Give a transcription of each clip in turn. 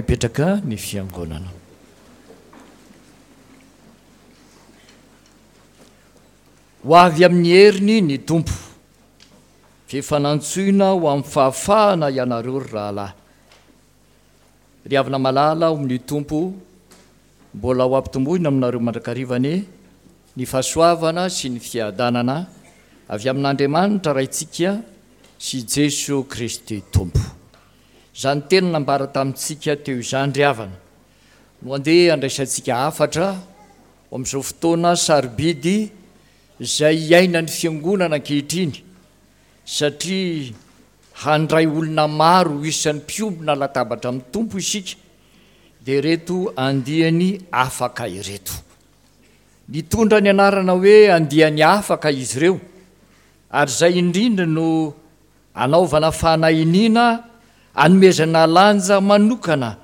Mipetraka ny fiangonana. Ho avy amin'ny heriny ny Tompo. F'efa nantsoina ho amin'ny fahafahana ianareo ry rahalahy. Ry havana malala ao amin'ny Tompo, mbola ho ampitomboina aminareo mandrakariva anie ny fahasoavana sy ny fiadanana avy amin'Andriamanitra Raintsika sy Jeso Kristy Tompo. Izany teny nambara tamintsika teo izany ry havana no andeha handraisantsika hafatra ho amin'izao fotoana sarobidy izay iainan'ny Fiangonana ankehitriny satria handray olona maro ho isan'ny mpiombona latabatra amin'ny Tompo isika dia ireto andiany afaka ireto. Nitondra ny anarana hoe andiany afaka izy ireo ary izay indrindra no Anaovana fanahiniana anomezana lanja manokana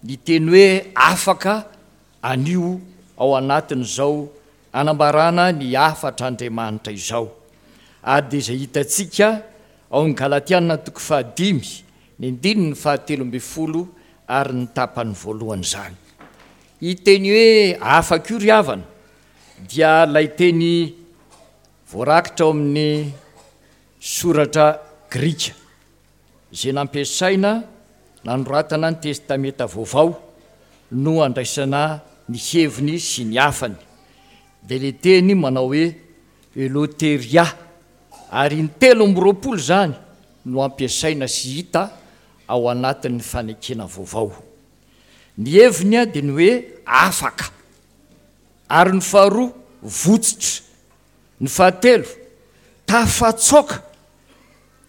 ny teny hoe afaka anio ao anatin'izao anambarana ny hafatr'Andriamanitra izao. Ary dia izay hitantsika ao amin'ny Galatiana toko fahadimy, ny andininy fahatelo ambin'ny folo ary ny tapany voalohany izany. Io teny hoe afaka io ry havana dia ilay teny voarakitra ao amin'ny Soratra grika izay nampiasaina nanoratana ny Testamenta Vaovao no andraisana ny heviny sy ny hafany, dia ilay teny manao hoe eleutheria, ary in-telo amby roapolo izany no ampiasaina sy hita ao anatin'ny Fanekena Vaovao. Ny heviny dia ny hoe afaka, ary ny faharoa votsotra. Ny fahatelo, tafatsoaka.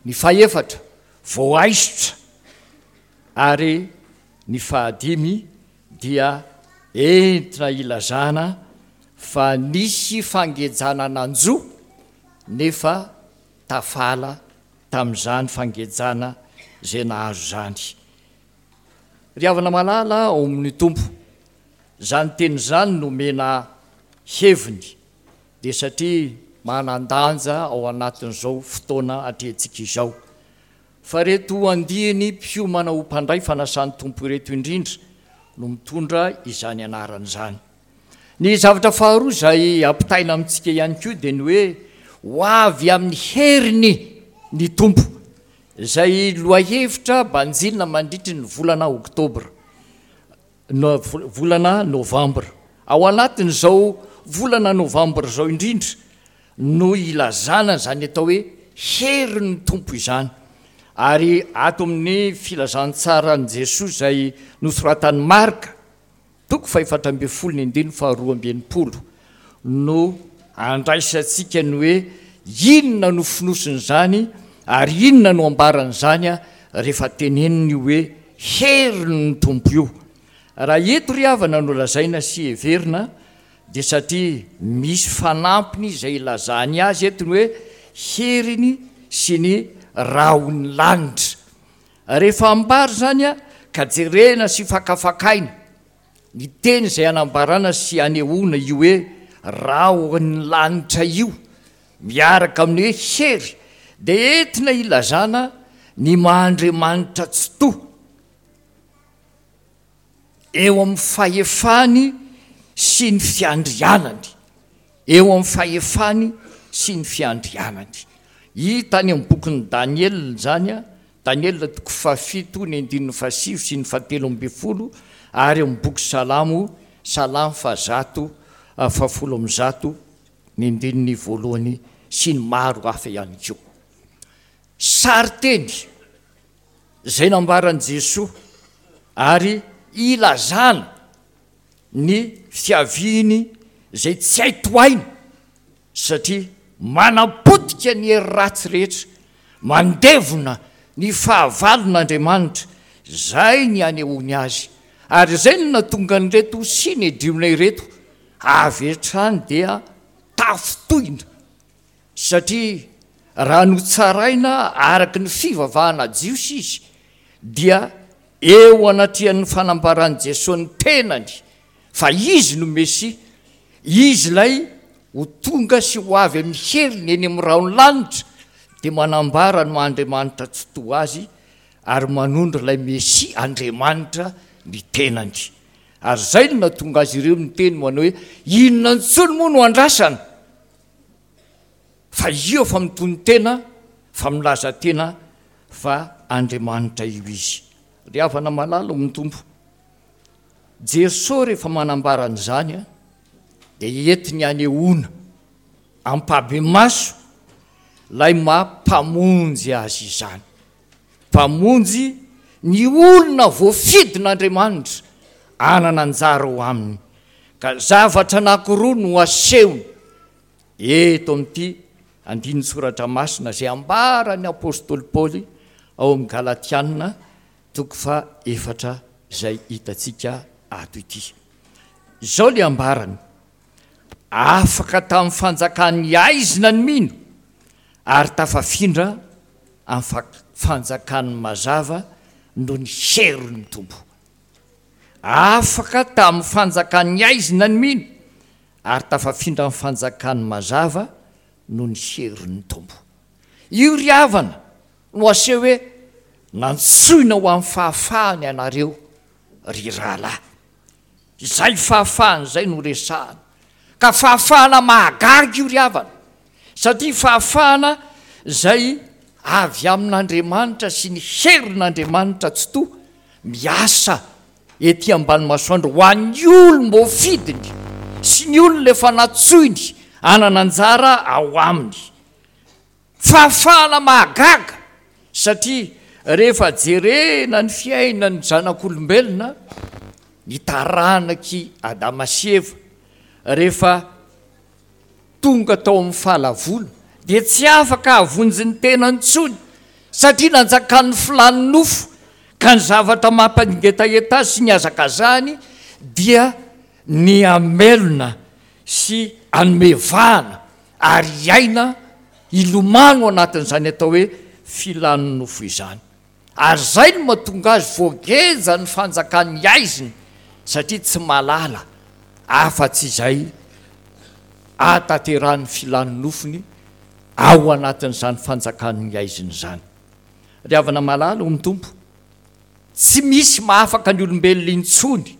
Ny fahefatra, voaisotra. Ary ny fahadimy dia entina ilazana fa nisy fangejana nanjo nefa tafala tamin'izany fangejana izay nahazo izany. Ry havana malala ao amin'ny Tompo, izany teny izany no omena heviny dia satria manan-danja ao anatin'izao fotoana atrehintsika izao. Fa ireto andiany mpiomana ho mpandray fanasan'ny Tompo ireto indrindra no mitondra izany anarana izany. Ny zavatra faharoa izay ampitaina amintsika ihany koa dia ny hoe ho avy amin'ny heriny ny Tompo, izay lohahevitra banjinina mandritry ny volana oktobra. Volana novambra. Ao anatin'izao volana novambra izao indrindra no ilazana izany atao hoe herin'ny Tompo izany. Ary ato amin'ny filazantsaran'i Jesoa izay nosoratan'i Marka, toko fahefatra ambin'ny folo ny andininy faharoa amby enimpolo no andraisantsika ny hoe inona no fonosin'izany ary inona no ambaran'izany rehefa teneniny io hoe herin'ny Tompo io. Raha eto ry havana no lazaina sy heverina dia satria misy fanampiny izay ilazany azy eto ny hoe heriny sy ny rahon'ny lanitra. Rehefa ambara izany ka jerena sy fakafakaina Ny teny izay anambarana sy anehoana io hoe rahon'ny lanitra io miaraka amin'ny hoe hery dia entina ilazana ny maha Andriamanitra Tsitoha eo amin'ny fahefany sy ny fiandrianany. Eo amin'ny fahefany sy ny fiandrianany. Hita any amin'ny bokin'i Daniela izany, Daniela toko fahafito ny andininy fahasivy sy ny fahatelo ambin'ny folo, ary amin'ny boky Salamo, Salamo fahazato, fahafolo amby zato ny andininy voalohany sy ny maro hafa ihany koa. Sarin-teny izay nambaran'i Jesoa ary ilazana ny fiaviany izay tsy hay tohaina satria manapotika ny hery ratsy rehetra, mandevona ny fahavalon'Andriamanitra, izay ny anehoany azy, ary izay no nahatonga an'ireto Synedriona ireto avy hatrany dia tafintohina, satria raha notsaraina araka ny fivavahana jiosy izy dia Eo anatrehan'ny fanambaran'i Jesoa ny tenany fa Izy no Mesia, Izy ilay ho tonga sy ho avy amin'ny heriny eny amin'ny rahon'ny lanitra, dia manambara ny maha Andriamanitra Tsitoha Azy ary manondro ilay Mesia Andriamanitra ny tenany. Ary izay no nahatonga azy ireo niteny manao hoe, Inona intsony moa no andrasana? Fa io efa mitonon-tena fa milaza tena fa Andriamanitra io izy. Ry havana malala ao amin'ny Tompo, Jesoa rehefa manambara an'izany dia entiny hanehoana ampahibemaso ilay maha Mpamonjy azy izany. Mpamonjy ny olona voafidin'Andriamanitra hanana anjara ao aminy. Ka zavatra anankiroa no asehony eto amin'ity andinin-tsoratra masina izay ambaran'ny apostoly Paoly ao amin'ny Galatiana toko faha-efatra izay hitantsika ato ity. Izao ilay ambarany, Afaka tamin'ny fanjakan'ny haizina ny mino ary tafafindra amin'ny fanjakan'ny mazava noho ny herin'ny Tompo. Afaka tamin'ny fanjakan'ny haizina ny mino ary tafafindra amin'ny fanjakan'ny mazava noho ny herin'ny Tompo. Io ry havana no aseho hoe nantsoina ho amin'ny fahafahana ianareo ry rahalahy. Izay fahafahana izay no resahana. Ka fahafahana mahagaga io ry havana, satria fahafahana izay avy amin'Andriamanitra sy ny herin'Andriamanitra Tsitoha miasa ety ambany masoandro ho an'ny olom-boafidiny sy ny olona efa nantsoiny hanana anjara ao aminy. Fahafahana mahagaga satria rehefa jerena ny fiainan'ny zanak'olombelona, ny taranak'i Adama sy Eva, rehefa tonga tao amin'ny fahalavoana dia tsy afaka hahavonjy ny tenany intsony satria nanjakan'ny filàn'ny nofo ka ny zavatra mampangetaheta azy sy ny hazakazahany dia ny hamelona sy hanome vahana ary hiaina hilomano anatin'izany atao hoe filan'ny nofo izany. Ary izay no mahatonga azy voageja ny fanjakan'ny haizina satria tsy mahalala afa-tsy izay ahatanterahan'ny filan'ny nofony ao anatin'izany fanjakan'ny haizina izany. Ry havana malala ao amin'ny Tompo, tsy misy mahafaka ny olombelona intsony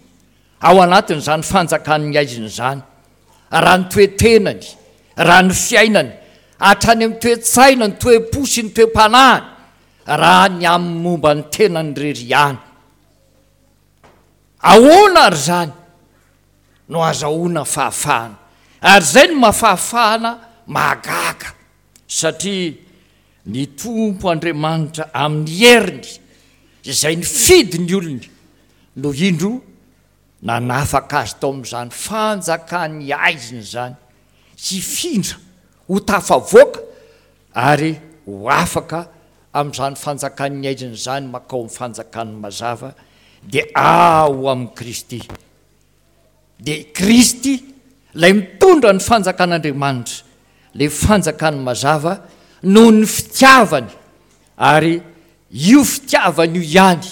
ao anatin'izany fanjakan'ny haizina izany, raha ny toe-tenany, raha ny fiainany, hatrany amin'ny toe-tsaina, ny toe-po sy ny toe-panahiny, raha ny amin'ny momba ny tenany irery ihany. Ahoana àry izany no azahoana fahafahana? Ary izay no maha fahafahana mahagaga, satria ny Tompo Andriamanitra amin'ny heriny izay nifidy ny olony no indro nanafaka azy tao amin'izany fanjakan'ny haizina izany, hifindra ho tafavoaka ary ho afaka amin'izany fanjakan'ny haizina izany mankao amin'ny fanjakan'ny mazava, dia ao amin'i Kristy. Dia i Kristy, ilay mitondra ny fanjakan'Andriamanitra, ilay fanjakan'ny mazava, noho ny fitiavany, ary io fitiavany io ihany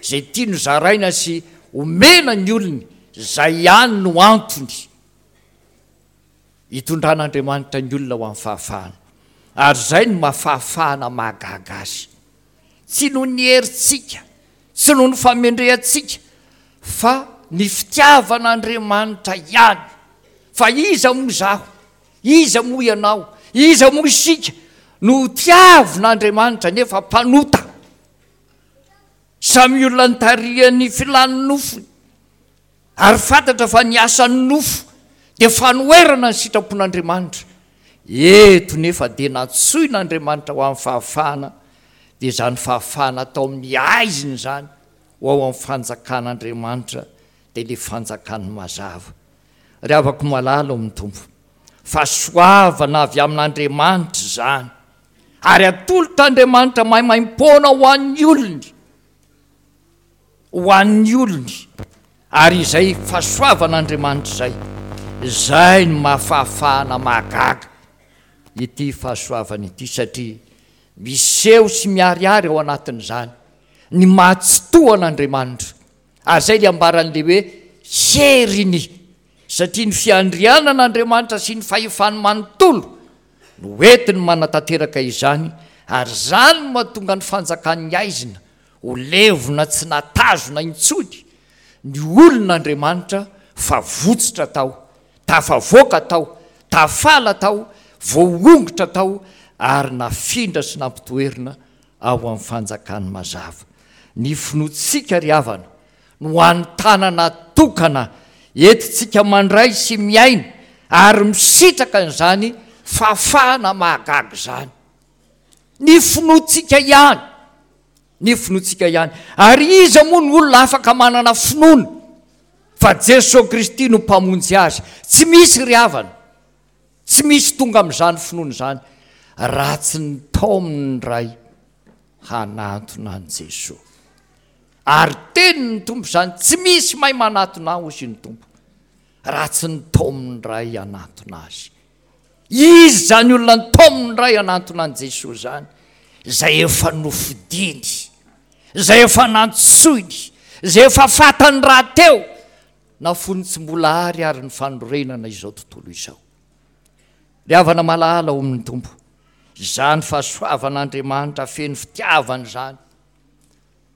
Izay tiany hozaraina sy omena ny olony, izay ihany no antony itondran'Andriamanitra ny olona ho amin'ny fahafahana. Ary izay no maha fahafahana mahagaga azy. Tsy noho ny herintsika, tsy noho ny famendrehantsika, fa ny fitiavan'Andriamanitra ihany. Fa iza moa izaho? Iza moa ianao? Iza moa isika no tiavin'Andriamanitra nefa mpanota? Samy olona nitarihan'ny filan'ny nofony, ary fantatra fa ny asan'ny nofo dia fanoherana ny sitrapon'Andriamanitra. Eto nefa dia nantsoin'Andriamanitra ho amin'ny fahafahana, dia izany fahafahana atao amin'ny haizina izany ho ao amin'ny fanjakan'Andriamanitra, dia ilay fanjakan'ny mazava. Ry havako malala ao amin'ny Tompo, fahasoavana avy amin'Andriamanitra izany. Ary atolotr'Andriamanitra maimaimpoana ho an'ny olony, ho an'ny olony, ary izay fahasoavan'Andriamanitra izay, izay no maha fahafahana mahagaga ity fahasoavana ity, satria miseho sy miharihary ao anatin'izany ny maha tsitoha an'Andriamanitra, ary izay ilay ambaran'ilay hoe heriny, satria ny fiandrianan'Andriamanitra sy ny fahefany manontolo no entiny manatanteraka izany ary izany no mahatonga ny fanjakan'ny haizina ho levona tsy natazona intsony. ny olon'Andriamanitra fa votsotra tao, tafavoaka tao, tafala tao, voaongotra tao ary nafindra sy nampitoerina ao amin'ny fanjakany mazava. Ny finoantsika ry havana no hany tanana tokana entintsika mandray sy miaina ary misitraka an'izany fahafahana mahagaga izany. Ny finoantsika ihany, ny finoantsika ihany. Ary iza moa no olona afaka manana finoana fa Jesoa Kristy no Mpamonjy azy? Tsy misy ry havana, tsy misy tonga amin'izany finoana izany raha tsy nitaomin'ny Ray hanantona an'i Jesoa. Ary tenin'ny Tompo izany, tsy misy mahay manatona ahy, hoy ny Tompo, raha tsy nitaomin'ny Ray hanantona azy. Iza izany olona nitaomin'ny Ray hanantona an'i Jesoa izany? Izay efa nofidiny, izay efa nantsoiny, izay efa fantany rahateo, na fony tsy mbola ary ary ny fanorenana izao tontolo izao. Ry havana malala ao amin'ny Tompo, izany fahasoavan'Andriamanitra feno fitiavana izany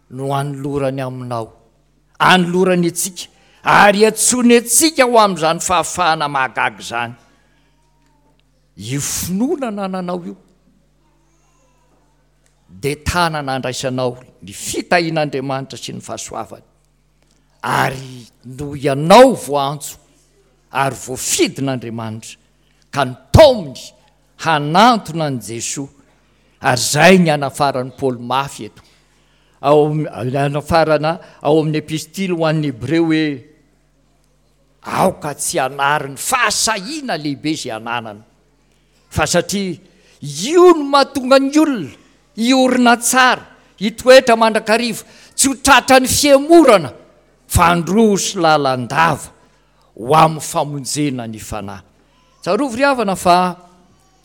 no anolorany aminao, anolorany antsika, ary iantsoany antsika ho amin'izany fahafahana mahagaga izany. Io finoana anananao io dia tanana andraisanao ny fitahian'Andriamanitra sy ny fahasoavany, ary noho ianao voaantso ary voafidin'Andriamanitra ka nitaominy hanantona an'i Jesoa, ary izay ny anafaran'i Paoly mafy eto, ao anafarana ao amin'ny epistily ho an'ny Hebreo hoe, aoka tsy hanary ny fahasahiana lehibe izay ananana, fa satria io no mahatonga ny olona hiorina tsara, hitoetra mandrakariva, tsy ho tratran'ny fihemorana, fa handroso lalandava ho amin'ny famonjena ny fanahy. Tsarovy ry havana fa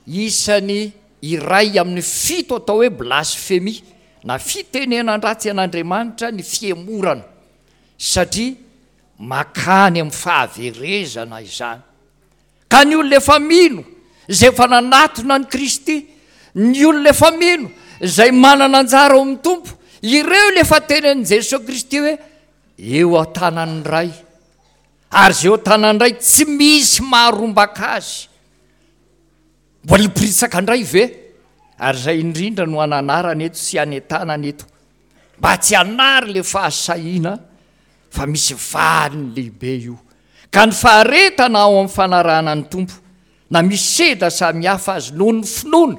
isan'ny iray amin'ny fito atao hoe blasfemia na fitenenan-dratsy an'Andriamanitra ny fihemorana satria makany amin'ny fahaverezana izany. Ka ny olona efa mino, izay efa nanatona an'i Kristy, ny olona efa mino, izay manana anjara ao amin'ny Tompo, ireo ilay efa tenenin'i Jesoa Kristy hoe eo an-tanan'ny Ray. Ary izay eo an-tanan'ny Ray tsy misy maharombaka azy. Mbola hiporitsaka indray ve? Ary izay indrindra no ananarana eto sy anentanana eto, mba tsy hanary ilay fahasahiana fa misy valiny lehibe io. Ka ny faharetana ao amin'ny fanarahana ny Tompo, na misy sedra samihafa azy noho ny finoana,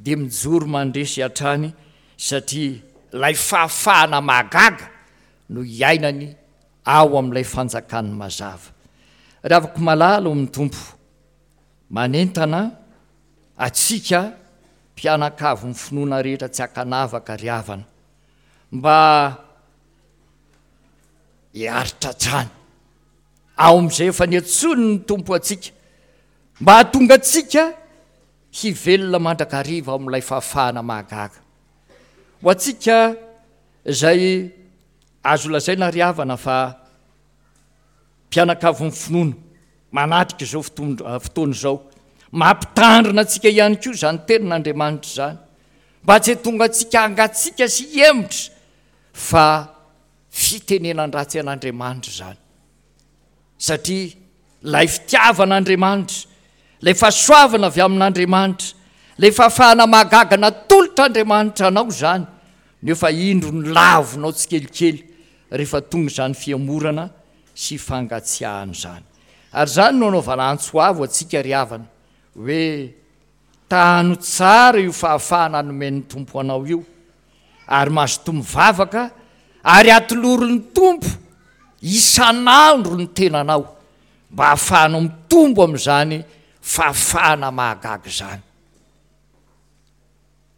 dia mijoro mandresy hatrany satria ilay fahafahana mahagaga no iainany ao amin'ilay fanjakan'ny mazava. Ry havako malala ao amin'ny Tompo, manentana antsika mpianakavin'ny finoana rehetra tsy ankanavaka ry havana, mba hiaritra hatrany ao amin'izay efa niantsoan'ny Tompo antsika, mba hahatonga antsika hivelona mandrakariva ao amin'ilay fahafahana mahagaga. Ho antsika izay azo lazaina ry havana fa mpianakavin'ny finoana manatrika izao fotoana izao, mampitandrina antsika ihany koa izany tenin'Andriamanitra izany, mba tsy hahatonga antsika hangatsiaka sy hihemotra fa fitenenan-dratsy an'Andriamanitra izany. Satria ilay fitiavan'Andriamanitra, ilay fahasoavana avy amin'Andriamanitra, ilay fahafahana mahagaga natolotr'Andriamanitra anao izany, nefa indro ny lavonao tsikelikely rehefa tonga izany fihemorana sy fangatsiahana izany. Ary izany no anaovana antso avo antsika ry havana, hoe Tano tsara io fahafahana nomen'ny Tompo anao io, ary mazotoa mivavaka ary atolory ny Tompo isan'andro ny tenanao mba hahafahanao mitombo amin'izany fahafahana mahagaga izany.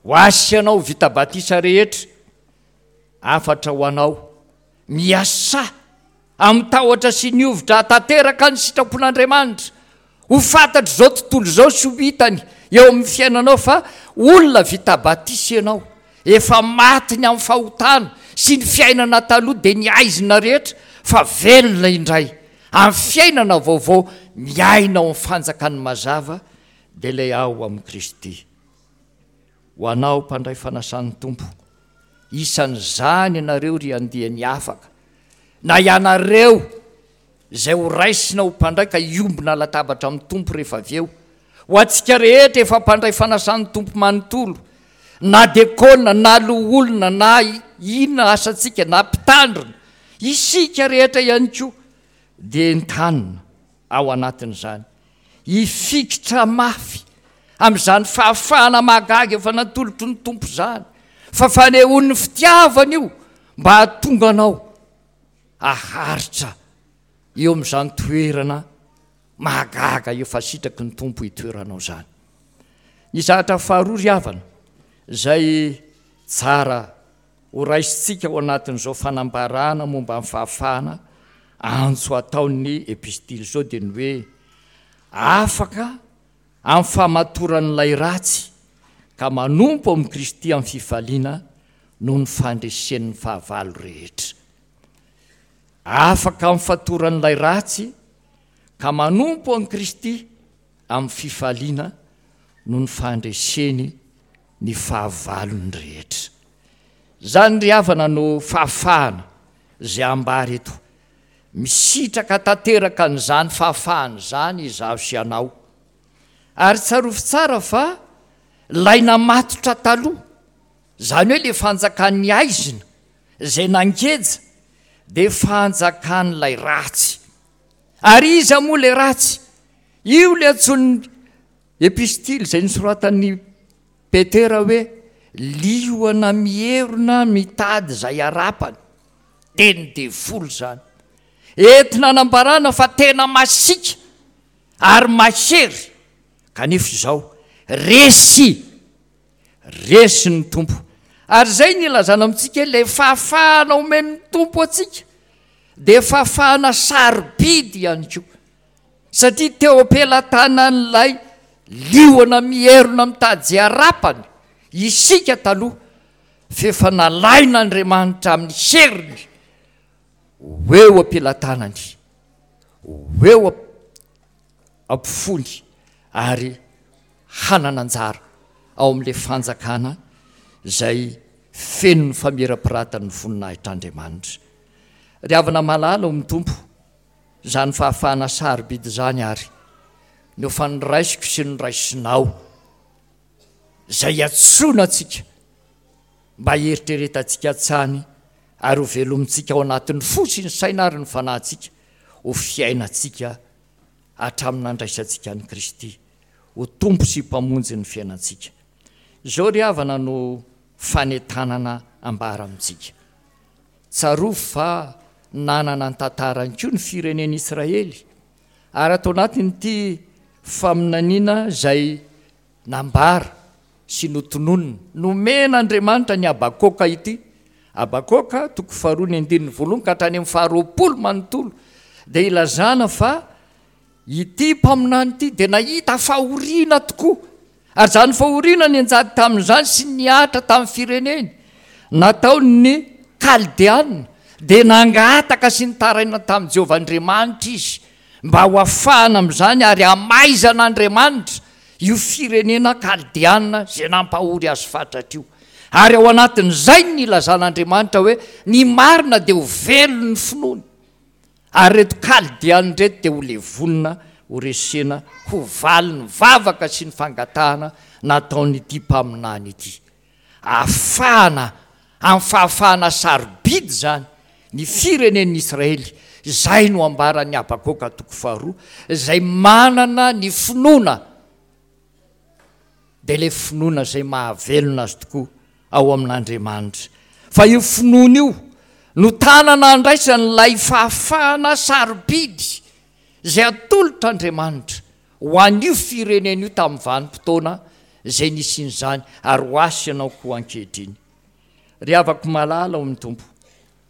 Ho ahy sy ianao vita batisa rehetra, hafatra ho anao, miasà amin'ny tahotra sy ny hovitra hahatanteraka ny sitrapon'Andriamanitra. Ho fantatr'izao tontolo izao sy ho hitany eo amin'ny fiainanao fa olona vita batisa ianao, efa maty ny amin'ny fahotana sy ny fiainana taloha dia ny haizina rehetra fa velona indray amin'ny fiainana vaovao miaina ao amin'ny fanjakan'ny mazava dia ilay ao amin'i Kristy. Ho anao mpandray fanasan'ny Tompo, isan'izany ianareo ry andiany afaka. Na ianareo izay ho raisina ho mpandray ka hiombona latabatra amin'ny Tompo rehefa avy eo. Ho antsika rehetra efa mpandray fanasan'ny Tompo manontolo, na dekona, na loholona, na inona asantsika, na mpitandrina, isika rehetra ihany koa dia entanina ao anatin'izany hifikitra mafy amin'izany fahafahana mahagaga efa natolotry ny Tompo izany, fa fanehoan'ny fitiavana io mba hahatonga anao haharitra eo amin'izany toerana mahagaga efa sitraky ny Tompo hitoeranao izany. Ny zavatra faharoa ry havana izay tsara ho raisintsika ao anatin'izao fanambarana momba ny fahafahana antso ataon'ny epistily izao dia ny hoe afaka amin'ny famatoran'ilay ratsy ka manompo amin'i Kristy amin'ny fifaliana noho ny fandresen'ny fahavalo rehetra. Afaka amin'ny fatoran'ilay ratsy ka manompo an'i Kristy amin'ny fifaliana noho ny fandreseny ny fahavalony rehetra. Izany ry havana no fahafahana izay ambara eto. Misitraka tanteraka an'izany fahafahana izany izaho sy ianao. Ary tsarovy tsara fa ilay namatotra taloha, izany hoe ilay fanjakan'ny haizina izay nangeja dia fanjakan'ilay ratsy. Ary iza moa ilay ratsy? Io ilay antsoin'ny epistily izay nosoratan'i Petera hoe liona mierona mitady izay harapany. Teny devoly izany. Entina anambarana fa tena masiaka ary mahery, kanefa izao resy, resy ny Tompo. Ary izay no ilazana amintsika hoe ilay fahafahana omen'ny Tompo antsika dia fahafahana sarobidy ihany koa. Satria teo am-pelatanan'ilay liona mierona mitady harapany isika taloha, f'efa nalain'Andriamanitra amin'ny heriny ho eo am-pelatanany, ho eo am-pofony ary hanana anjara ao amin'ilay fanjakana izay feno ny famirapiratan'ny voninahitr'Andriamanitra. Ry havana malala ao amin'ny Tompo, Izany fahafahana sarobidy izany àry no efa noraisiko sy noraisinao, izay iantsoana antsika mba hieritreretantsika hatrany ary hovelomintsika ao anatin'ny fo sy ny saina ary ny fanahintsika ho fiainantsika hatramin'ny nandraisantsika an'i Kristy ho Tompo sy Mpamonjy ny fiainantsika. Izao ry havana no fanentanana ambara amintsika. Tsarovy fa nanana ny tantarany koa ny firenen'Israely, ary ato anatin'ity faminaniana izay nambara sy notononina, nomen'Andriamanitra an'i Habakoka ity, Habakoka toko faharoa ny andininy voalohany ka hatrany amin'ny faharoapolo manontolo, dia ilazana fa Ity mpaminany ity dia nahita fahoriana tokoa, ary izany fahoriana nianjady tamin'izany sy nihatra tamin'ny fireneny, nataon'ny Kaldeana, dia nangataka sy nitaraina tamin'i Jehovah Andriamanitra izy mba ho afahana amin'izany ary hamaizan'Andriamanitra io firenena Kaldeana izay nampahory azy fatratra io. Ary ao anatin'izay no nilazan'Andriamanitra hoe ny marina dia ho velon'ny finoany. Ary ireto Kaldeana ireto dia ho levonina, ho resena, ho valin'ny vavaka sy ny fangatahana nataon'ity mpaminany ity. Ahafahana, amin'ny fahafahana sarobidy izany, ny firenen'ny Israely, izay no ambaran'i Habakoka toko faharoa, izay manana ny finoana, dia ilay finoana izay mahavelona azy tokoa ao amin'Andriamanitra. Fa io finoana io no tanana andraisany ilay fahafahana sarobidy izay atolotr'Andriamanitra ho an'io firenena io tamin'ny vanim-potoana izay nisian'izany ary ho ahy sy ianao koa ankehitriny. Ry havako malala ao amin'ny Tompo,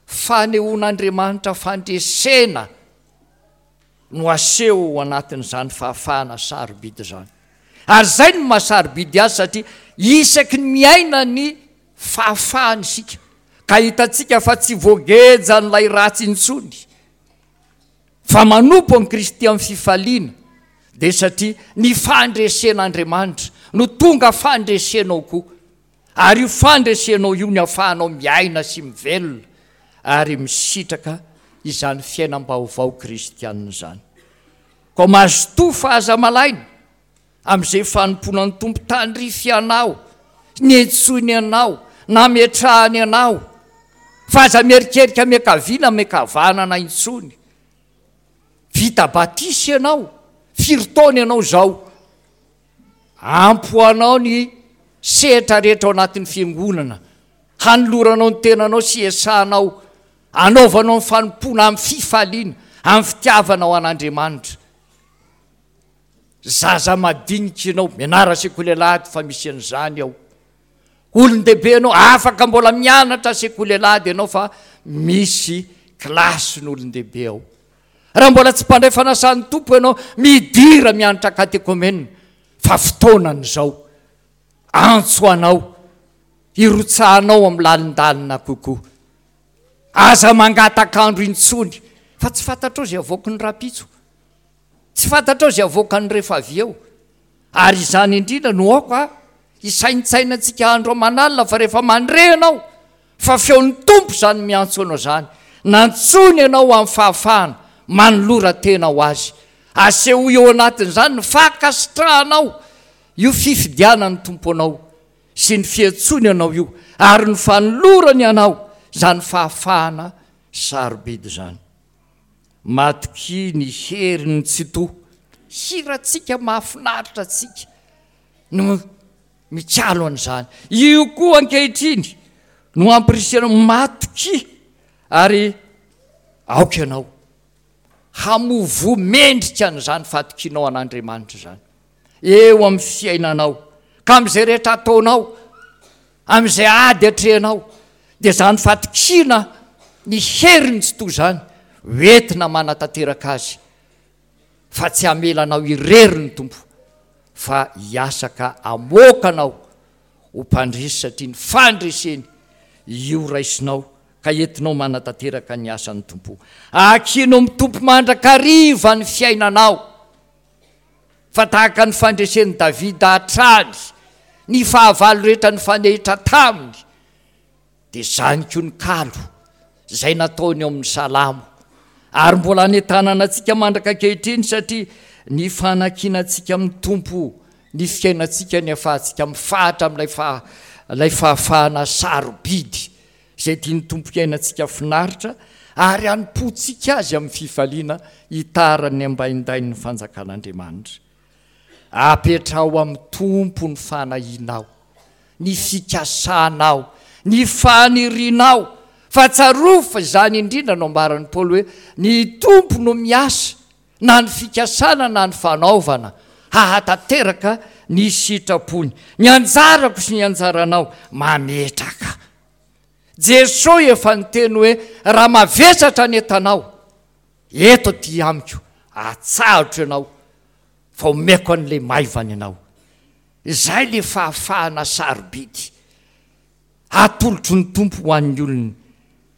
fanehoan'Andriamanitra fandresena no aseho ao anatin'izany fahafahana sarobidy izany. Ary izay no maha sarobidy azy satria isaky ny miaina ny fahafahana isika ka hitantsika fa tsy voagejan'ilay ratsy intsony fa manompo an'i Kristy amin'ny fifaliana dia satria ny fandresen'Andriamanitra no tonga fandresenao koa. Ary io fandresenao io ny ahafahanao miaina sy mivelona ary misitraka izany fiainam-baovao kristianina izany. Koa mazotoa fa aza malaina amin'izay fanompoana ny Tompo tandrify anao, niantsoiny anao, nametrahany anao, fa aza mierikerika miankavia na miankavanana intsony. Vita batisa ianao, firy taona ianao izao? Ampy ho anao ny sehatra rehetra ao anatin'ny fiangonana, hanoloranao ny tenanao sy hiasanao, hanaovanao ny fanompoana amin'ny fifaliana, amin'ny fitiavana ho an'Andriamanitra. Zaza madinika ianao, mianara sekoly alahady fa misy an'izany ao. Olon-dehibe ianao, afaka mbola mianatra sekoly alahady ianao fa misy kilasin'olon-dehibe ao. Raha mbola tsy mpandray fanasan'ny Tompo ianao, midira mianatra katekomena fa fotoanany izao. Antso anao hirotsahanao amin'ny lalindalina kokoa. Aza mangatak'andro intsony fa tsy fantatrao izay avoaky ny rahampitso. Tsy fantatrao izay avoakany rehefa avy eo. Ary izany indrindra no aoka hisaintsainantsika andro aman'alina fa rehefa mandre ianao fa feon'ny Tompo izany miantso anao izany, nantsoiny ianao ho amin'ny fahafahana, manolora tena ho Azy. Asehoy eo anatin'izany ny fankasitrahanao io fifidianan'ny Tompo anao sy ny fiantsoany anao io ary ny fanolorany anao izany fahafahana sarobidy izany. Matokia ny herin'ny Tsitoha. Hirantsika mahafinaritra antsika no mikalo an'izany. Io koa ankehitriny no ampirisihana matokia ary aoka ianao hamoa voa mendrika an'izany fatokianao an'Andriamanitra izany. eo amin'ny fiainanao, ka amin'izay rehetra ataonao, amin'izay ady atrehinao, dia izany fatokiana ny heriny tsy toa izany ho entina manatanteraka azy, fa tsy hamela anao irery ny Tompo, fa hiasa ka hamoaka anao ho mpandresy satria ny fandreseny io raisinao ka entinao manatanteraka ny asan'ny Tompo. Akino amin'ny Tompo mandrakariva ny fiainanao. Fa tahaka ny fandresen'i Davida hatrany ny fahavalo rehetra nifanehitra taminy, dia izany koa ny kalo izay nataony ao amin'ny Salamo, ary mbola anentanana antsika mandraka ankehitriny, satria ny fanankinantsika amin'ny Tompo ny fiainantsika ny ahafahantsika mifahatra amin'ilay faha, ilay fahafahana sarobidy Izay tian'ny Tompo hiainantsika finaritra ary hanompoantsika Azy amin'ny fifaliana hitaran'ny ambaindain'ny fanjakan'Andriamanitra. Apetraho amin'ny Tompo ny fanahianao, ny fikasanao, ny fanirianao, fa tsarovy fa izany indrindra no ambaran'i Paoly hoe, Ny Tompo no miasa na ny fikasana na ny fanaovana hahatanteraka ny sitrapony. Ny anjarako sy ny anjaranao mametraka. Jesoa efa niteny hoe raha mavesatra ny entanao, eto aty amiko, atsahotro ianao fa omeko an'ilay maivana ianao. Izay ilay fahafahana sarobidy atolotry ny Tompo ho an'ny olony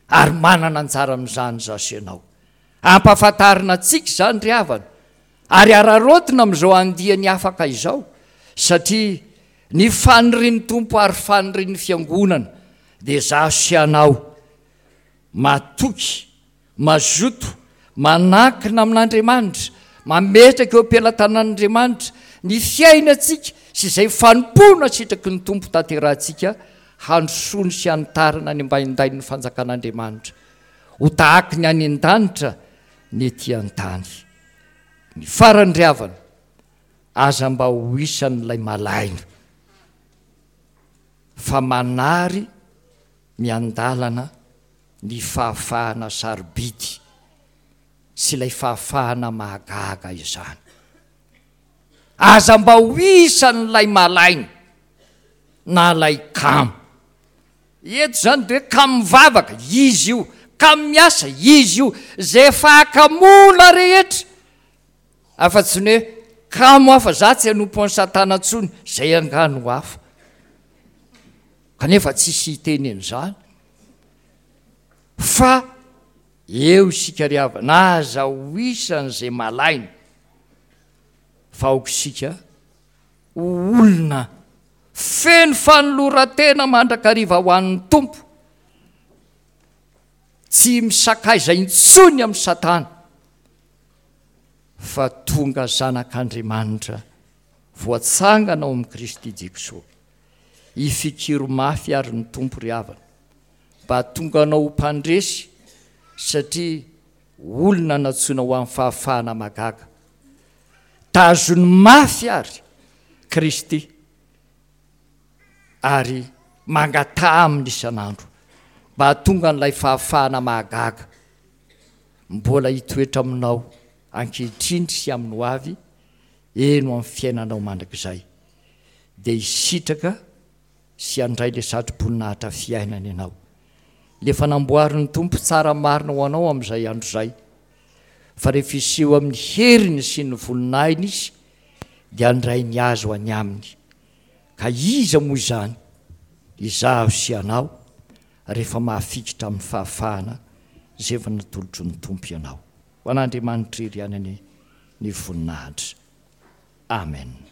ary manana anjara amin'izany izaho sy ianao. Ampahafantarina antsika izany ry havana ary araraotina amin'izao andiany afaka izao satria Ny fanirian'ny Tompo ary fanirian'ny Fiangonana dia izaho sy ianao matoky, mazoto, manankina amin'Andriamanitra, mametraka eo am-pelatanan'Andriamanitra ny fiainantsika sy izay fanompoana sitraky ny Tompo tanterahantsika handrosoany sy hanitarana ny ambaindain'ny fanjakan'Andriamanitra ho tahaky ny any an-danitra ny ety an-tany. Ny farany ry havana, Aza mba ho isan'ilay malaina fa manary miandalana ny fahafahana sarobidy sy ilay fahafahana mahagaga izany. Aza mba ho isan'ilay malaina na ilay kamo. Eto izany dia hoe kamo mivavaka, izy io, kamo miasa, izy io, izay fahakamoana rehetra Afa-tsy ny hoe kamo aho fa za tsy hanompo an'i satana intsony, zay angaha no hafa. Kanefa tsisy hiteny an'izany. Fa eo isika ry havana, aza ho isan'izay malaina, fa aoka isika ho olona feno fanoloran-tena mandrakariva ho an'ny Tompo. Tsy misakaiza intsony amin'i Satana fa tonga zanak'Andriamanitra voatsangana ao amin'i Kristy Jesoa. Ifikiro mafy ary ny Tompo ry havana mba hahatonga anao ho mpandresy satria olona nantsoina ho amin'ny fahafahana mahagaga. Tazony mafy ary Kristy ary mangataha aminy isan'andro mba hahatonga an'ilay fahafahana mahagaga mbola hitoetra aminao ankehitriny sy amin'ny ho avy, eny ho amin'ny fiainanao mandrakizay, dia hisitraka sy handray ilay satroboninahitra fiainana ianao, ilay efa namboarin'ny Tompo tsara marina ho anao amin'izay andro izay, fa rehefa hiseho amin'ny heriny sy ny voninahiny Izy, dia handray ny azy ho any aminy. Ka iza moa izany izaho sy ianao rehefa mahafikitra amin'ny fahafahana izay efa natolotry ny Tompo ianao? Ho an'Andriamanitra irery ihany anie ny voninahitra. Amen.